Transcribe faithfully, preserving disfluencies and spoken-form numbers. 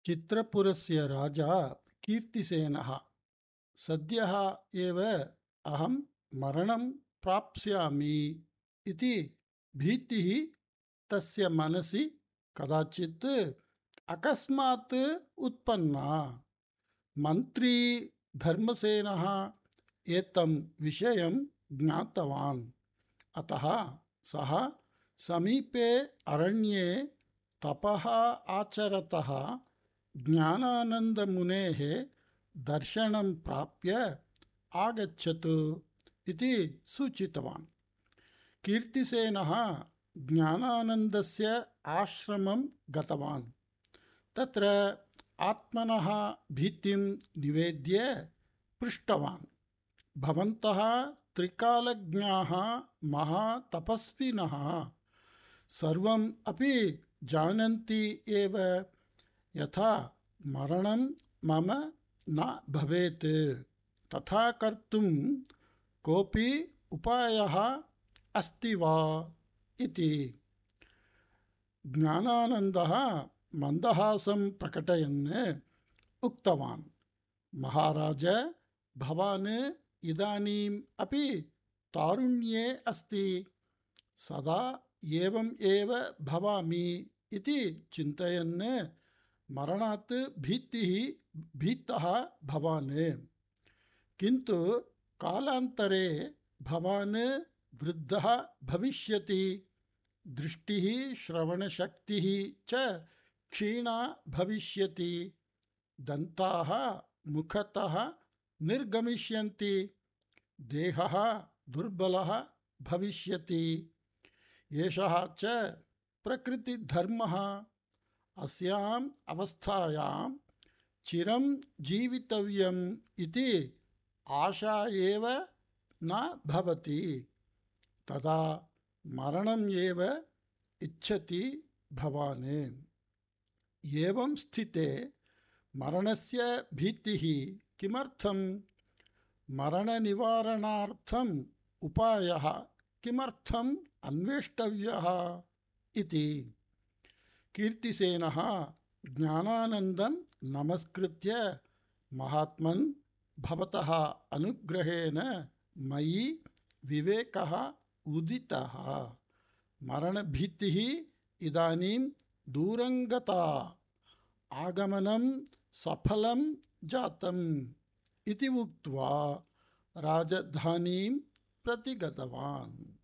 चित्रपुरस्य राजा कीर्तिसेनः सद्यः एव अहं मरणं प्राप्स्यामि इति भीतिः तस्य मनसि कदाचित् अकस्मात् उत्पन्ना। मन्त्री धर्मसेनः एतं विषयं ज्ञातवान्। अतः सः समीपे अरण्ये तपः आचरतः ज्ञानानन्दमुनेः दर्शनं प्राप्य आगच्छतु इति सूचितवान्। कीर्तिसेनः ज्ञानानन्दस्य आश्रमं गतवान्। तत्र आत्मनः भीतिं निवेद्य पृष्टवान्, भवन्तः त्रिकालज्ञाः महातपस्विनः सर्वम् अपि जानन्ति एव, यथा मरणं मम न भवेत् तथा कर्तुं कोऽपि उपायः अस्ति वा इति। ज्ञानानन्दः मन्दहासं प्रकटयन् उक्तवान्, महाराज, भवान् इदानीम् अपि तारुण्ये अस्ति। सदा एवम् एव भवामि इति चिन्तयन् मरणात् भीतिः भीतः भवान्। किन्तु कालान्तरे भवान् वृद्धः भविष्यति, दृष्टिः श्रवणशक्तिः च क्षीणा भविष्यति, दन्ताः मुखतः निर्गमिष्यन्ति, देहः दुर्बलः भविष्यति। एषः च प्रकृतिधर्मः। अस्याम् अवस्थायां चिरं जीवितव्यम् इति आशा एव न भवति। तदा मरणम् एव इच्छति भवान्। एवं स्थिते मरणस्य भीतिः किमर्थम्? मरणनिवारणार्थम् उपायः किमर्थम् अन्वेष्टव्यः इति। कीर्तिसेनः ज्ञानानन्दं नमस्कृत्य, महात्मन्, भवतः अनुग्रहेण मयि विवेकः उदितः। मरणभीतिः इदानीं दूरं गता, आगमनं सफलं जातम् इति उक्त्वा राजधानीं प्रति गतवान्।